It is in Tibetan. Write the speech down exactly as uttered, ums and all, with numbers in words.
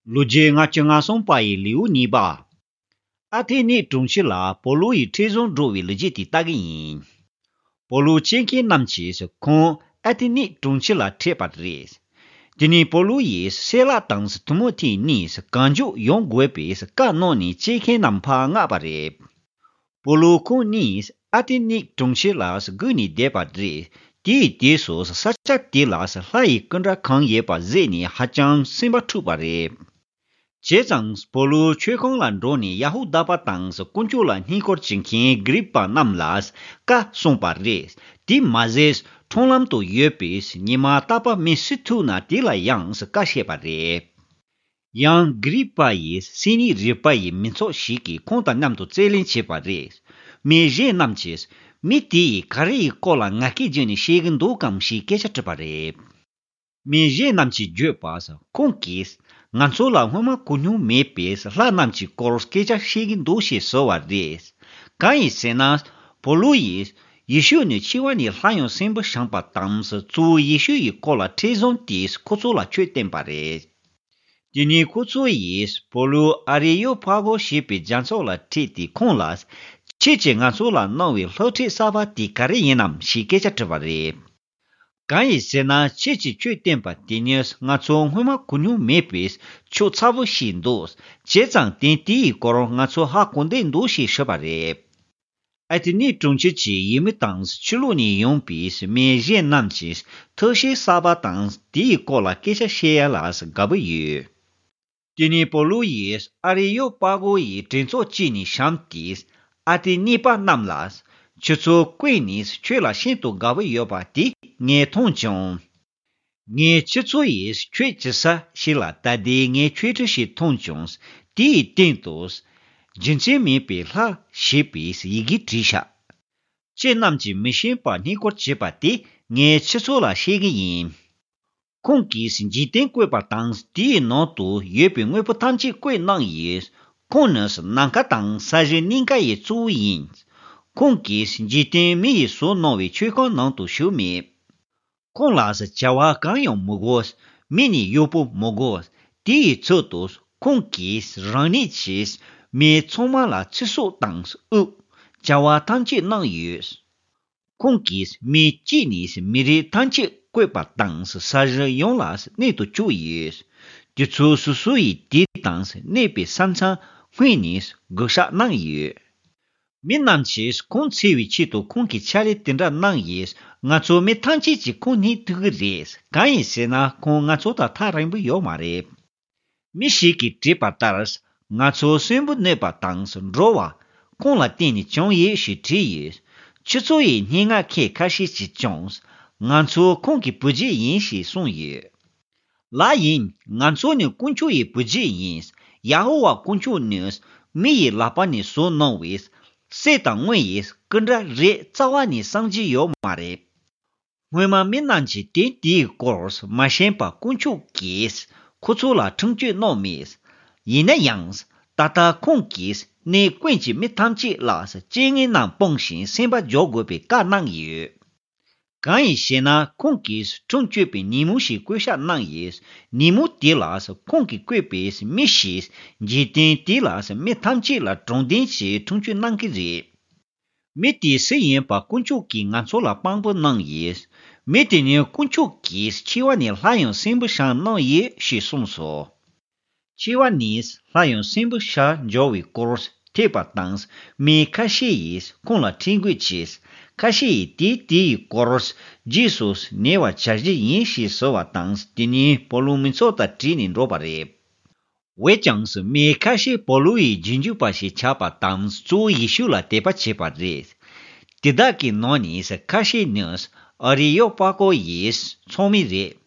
ལོ་རྒྱུས་ལྔ་བཅུ་ང་གསུམ་པ་ཡི་ལེའུ་གཉིས་པ། ཨ་ཐེ་ནི་གྲོང་ཁྱེར་ལ་པོ་ལུ་ཡི་ཁྲིད་བཟུང་འགྲོ་བའི་ལོ་རྒྱུས་དེ་ལྟ་གི་ཡིན། པོ་ལུ་བཅས་མཁན་རྣམས་ཀྱིས་ཁོང་ཨ་ཐེ་ནི་གྲོང་ཁྱེར་ལ་ཁྲིད་པ་རེད། དེ་ནས་པོ་ལུ་ཡིས་སེ་ལ་དང་ཐི་མོ་ཐི་གཉིས་གང་མགྱོགས་ཡོང་དགོས་པའི་བཀའ་གནང་ནས་བཅས་མཁན་རྣམས་ཕར་མངགས་པ་རེད། པོ་ལུ་ཁོང་གཉིས་ཨ་ཐེ་ནི་གྲོང་ཁྱེར་ལ་སྒུག་ནས་བསྡད་པ་རེད། དེའི་དུས་སུ་ས་ཆ་དེ་ལ་ལྷ་ཡི་སྐུ་འདྲ་གང་ཡོད་པ་གཟིགས་ནས་ཧ་ཅང་སེམས་པ་འཁྲུགས་པ་རེད། བྱས་ཙང་པོ་ལུ་མཆོད་ཁང་ལ་འགྲོ་ནས་ཡ་ཧུ་དཱ་པ་དང་དཀོན་མཆོག་ལ་བསྙེན་བཀུར་བྱེད་མཁན་གྷི་རིབ་པ་རྣམས་ལ་བཀའ་གསུངས་པ་རེད། དེ་མ་ཟད་ཁྲོམ་ལམ་དུ་ཡོད་པའི་ཉི་མ་རྟག་པར་མི་སུ་ཐུག་ན་དེ་ལ་ཡང་བཀའ་བཤད་པ་རེད། ཡང་གྷི་རིབ་པ་ཡི་སེ་ནི་རི་པ་ཡི་མི་ཚོགས་ཤིག་གིས་ཁོང་དང་མཉམ་དུ་རྩོད་གླེང་བྱས་པ་རེད། མི་གཞན་རྣམས་ཀྱིས་མི་དེ་ཡིས་ག་རེ་ཡི་སྐོར་ལ་ངར་སྐད་བརྗོད་ནས་བཤད་ཀྱི་འདུག་གམ་ཞེས་སྐད་ཆ་དྲིས་པ་རེད། མི་གཞན་རྣམས་ཀྱིས་བརྗོད་པ། ཁོང་གིས་ང་ཚོ་ལ་སྔོན་མ་གོ་མྱོང་མེད་པའི་ལྷ་རྣམས་ཀྱི་སྐོར་སྐད་ཆ་བཤད་ཀྱི་འདུག་ཞེས་ཟེར་བ་རེད། གང་ཡིན་ཟེར་ན། པོ་ལུ་ཡིས་ཡེ་ཤུ་ནི་འཆི་བ་ནས་སླར་ཡང་གསོན་པོ་བྱུང་པ་དང་གཙོ་བོ་ཡེ་ཤུ་ཡི་སྐོར་ལ་ཁྲིད་བཟུང་དེས་ཁོ་ཚོ་ལ་ཆོས་བསྟན་པ་རེད། དེ་ནས་ཁོ་ཚོ་ཡིས་པོ་ལུ་ཨ་རེ་ཡོ་ཕ་གོ་ཞེས་པའི་རྒྱ་མཚོ་ལ་ཁྲིད་དེ་ཁོང་ལ། ཁྱེད་ཀྱིས་ང་ཚོ་ལ་གནང་བའི་སློབ་ཁྲིད་གསར་པ་དེ་ག་རེ་ཡིན་ནམ་ཞེས་སྐད་ཆ་དྲིས་པ་རེད། གང་ཡིན་ཟེར་ན་ཁྱེད་ཀྱིས་ཆོས་བསྟན་པ་དེ་ནི་ང་ཚོ་སྔོན་མ་གོ་མྱོང་མེད་པའི་ཆོས་ཚ་བོ་ཞིག་འདུག་བྱས་ཙང་དེ་དེའི་སྐོར་ང་ཚོ་ཧ་གོ་བསྡད་འདུག་ཞེས་ཞུས་པ་རེད། ཨ་ཐེ་ནི་གྲོང་ཁྱེར་གྱི་ཡུལ་མི་དང་ཕྱི་ལོགས་ནས་ཡོང་པའི་མི་གཞན་རྣམས་ཀྱིས་ཐུགས་བཞེད་གསར་པ་དང་དེའི་སྐོར་ལ་སྐད་ཆ་བཤད་ཡ་ལ་དགའ་པོ་ཡོད། དེ་ནས་པོ་ལུ་ཡིས་ཨ་རེ་ཡོ་པ་གོ་ཡི་གྲོས་ཚོགས་བཅས་ནས་བཤམས་ཏེ། ཨ་ཐེ་ནི་པ་རྣམས་ལ། ཁྱེད་ཚོ་ཀུན་ནས་ཆོས་ལ་ཤིན་ཏུ་དགའ་པོ་ཡོད་པ་དེ་ངས་མཐོང་བྱུང་། ངས་ཁྱེད་ཚོ་ཡིས་ཆོས་བྱེད་ས་ཞིག་ལ་ད་ལྟའི་ངས་ཆོས་ཁྲི་ཞིག་མཐོང་བྱུང་། དེའི་སྟེང་དུ། རྒྱུ་མཚན་མེད་པའི་ལྷ་ཞེས་པའི་ཡི་གེ་བྲིས་ཤག་ཁྱེད་རྣམས་ཀྱིས་མི་ཤེས་པ་བསྙེན་བཀུར་བྱེད་པ་དེ་ངས་ཁྱེད་ཚོ་ལ་བཤད་ཀྱི་ཡིན། ཁོང་གིས་འཇིག་རྟེན་བཀོད་པ་དང་དེའི་ནང་དུ་ཡོད་པའི་དངོས་པོ་ཐམས་ཅད་བཀོད་གནང་ཡོད། ཁོང་ནི་ནམ་མཁའ་དང་ས་གཞི་གཉིས་ཀ་ཡི་གཙོ་བོ་ཡིན། ཁོང་གིས་འཇིག་རྟེན་མི་ཡིས་བཟོ་གནང་བའི་མཆོད་ཁང་ནང་དུ་ཞུགས་མེད། ཁོང་ལ་བྱ་བ་གང་ཡང་མི་དགོས། མི་ནི་གཡོག་པོ་མི་དགོས། དེ་ཡི་ཚུལ་དུ་ཁོང་གིས་རང་ཉིད་ཀྱིས་མི་ཚང་མ་ལ་ཚེ་སྲོག་དང་དབུགས། བྱ་བ་ཐམས་ཅད་གནང་ཡོད། ཁོང་གིས་མི་གཅིག་ནས་མི་རིགས་ཐམས་ཅད་བཀོད་པ་དང་ས་གཞི་ཡོངས་ལ་གནས་དུ་བཅུག་ཡོད། དེ་ཚོ་སོ་སོ་ཡི་དུས་དང་གནས་པའི་ས་མཚམས་སྔོན་ནས་བགོ་བཤའ་གནང་ཡོད། མི་རྣམས་ཀྱིས་ཁོང་འཚོལ་བའི་ཆེད་དུ་ཁོང་གིས་ཕྱག་ལས་དེ་འདྲ་གནང་ཡོད། ང་ཚོ་མི་ཐམས་ཅད་ཀྱིས་ཁོང་རྙེད་ཐུབ་ཀྱི་རེད། གང་ཡིན་ཟེར་ན་ཁོང་ང་ཚོ་དང་ཐག་རིང་པོ་ཡོད་མ་རེད། མི་ཞིག་གིས་བྲིས་པ་ལྟར། ང་ཚོ་གསོན་པོ་གནས་པ་དང་འགྲོ་བ། ཁོང་ལ་བརྟེན་ནས་བྱུང་ཡོད་ཞེས་བྲིས་ཡོད། ཁྱེད་ཚོ་ཡི་སྙན་ངག་ཁག་ཁ་ཤས་ཀྱིས་ཀྱང་། ང་ཚོ་ཁོང་གི་བུ་རྒྱུད་ཡིན་ཞེས་གསུངས་ཡོད། ལགས་ཡིན། ང་ཚོ་ནི་དཀོན་མཆོག་ཡི་བུ་རྒྱུད་ཡིན། ཡ་ཧོ་ཝཱ་དཀོན་མཆོག་ནི་མི་ཡི་ལག་པ་ནས་བཟོ་གནང་བའི་གསེར་དང་དངུལ་ཡི་སྐུ་འདྲ་རེ་རྩ་བ་ནས་བསམ་གྱི་ཡོད་མ་རེད། སྔོན་མ་མི་རྣམས་ཀྱིས་དོན་དེའི་སྐོར་མ་ཤེས་པར་དཀོན་མཆོག་གིས་ཁོ་ཚོ་ལ་ཁྲིམས་གཅོད་གནང་མེད། ཡིན་ན་ཡང་། ད་ལྟ་ཁོང་གིས་གནས་ཀུན་གྱི་མི་ཐམས་ཅད་ལ་རྐྱེན་ངན་རྣམས་སྤངས་ཤིང་སེམས་པ་འཇོག་དགོས་པའི་བཀའ་གནང་ཡོད། གང་ཡིན་ཞེ་ན་ཁོང་གིས་ཁྲིམས་གཅོད་པའི་ཉིན་མོ་ཞིག་བཀོད་བཞག་གནང་ཡོད། ཉིན་མོ་དེ་ལ་ཁོང་གིས་བཀོད་པའི་མི་ཞིག་འཇིག་རྟེན་དེ་ལ་མི་ཐམས་ཅད་ལ་དྲང་བདེན་གྱི་ཁྲིམས་གཅོད་གནང་གི་རེད། མི་དེ་སུ་ཡིན་པ་དཀོན་མཆོག་གིས་ང་ཚོ་ལ་དཔང་པོ་གནང་ཡོད། མི་དེ་ནི་དཀོན་མཆོག་གིས་འཆི་བ་ནས་སླར་ཡང་གསོན་པོ་བྱུང་གནང་ཡོད་ཞེས་གསུངས་སོ། འཆི་བ་ནས་སླར་ཡང་གསོན་པོ་བྱ་འཇོག་པའི་སྐོར་ཐོས་པ་དང་མི་ཁ་ཤས་ཡིས་ཁོང་ལ་འཁྲིད་འགོད་བྱས། ཁ་ཤས་ཡིས་དེ་དེའི་སྐོར་རྗེས་སུ་ཉེ་བར་བྱ་གཞི་ཡིན་ཞེས་ཟེར་བ་དང་དེ་ནས་པོ་ལུ་མི་ཚོགས་དང་བྲལ་ནས་འགྲོ་བ་རེད། འོན་ཀྱང་མི་ཁ་ཤས་པོ་ལུ་ཡི་རྗེས་འཇུག་པ་ཞིག་ཆགས་པ་དང་གཙོ་བོ་ཡེ་ཤུ་ལ་དད་པ་བྱས་པ་རེད། དེ་དག་གི་ནང་ནས་ཁ་ཤས་ནི་ཨ་རི་ཡོ་པ་ཀོ་ཡི་ཚོགས་མི་རེད།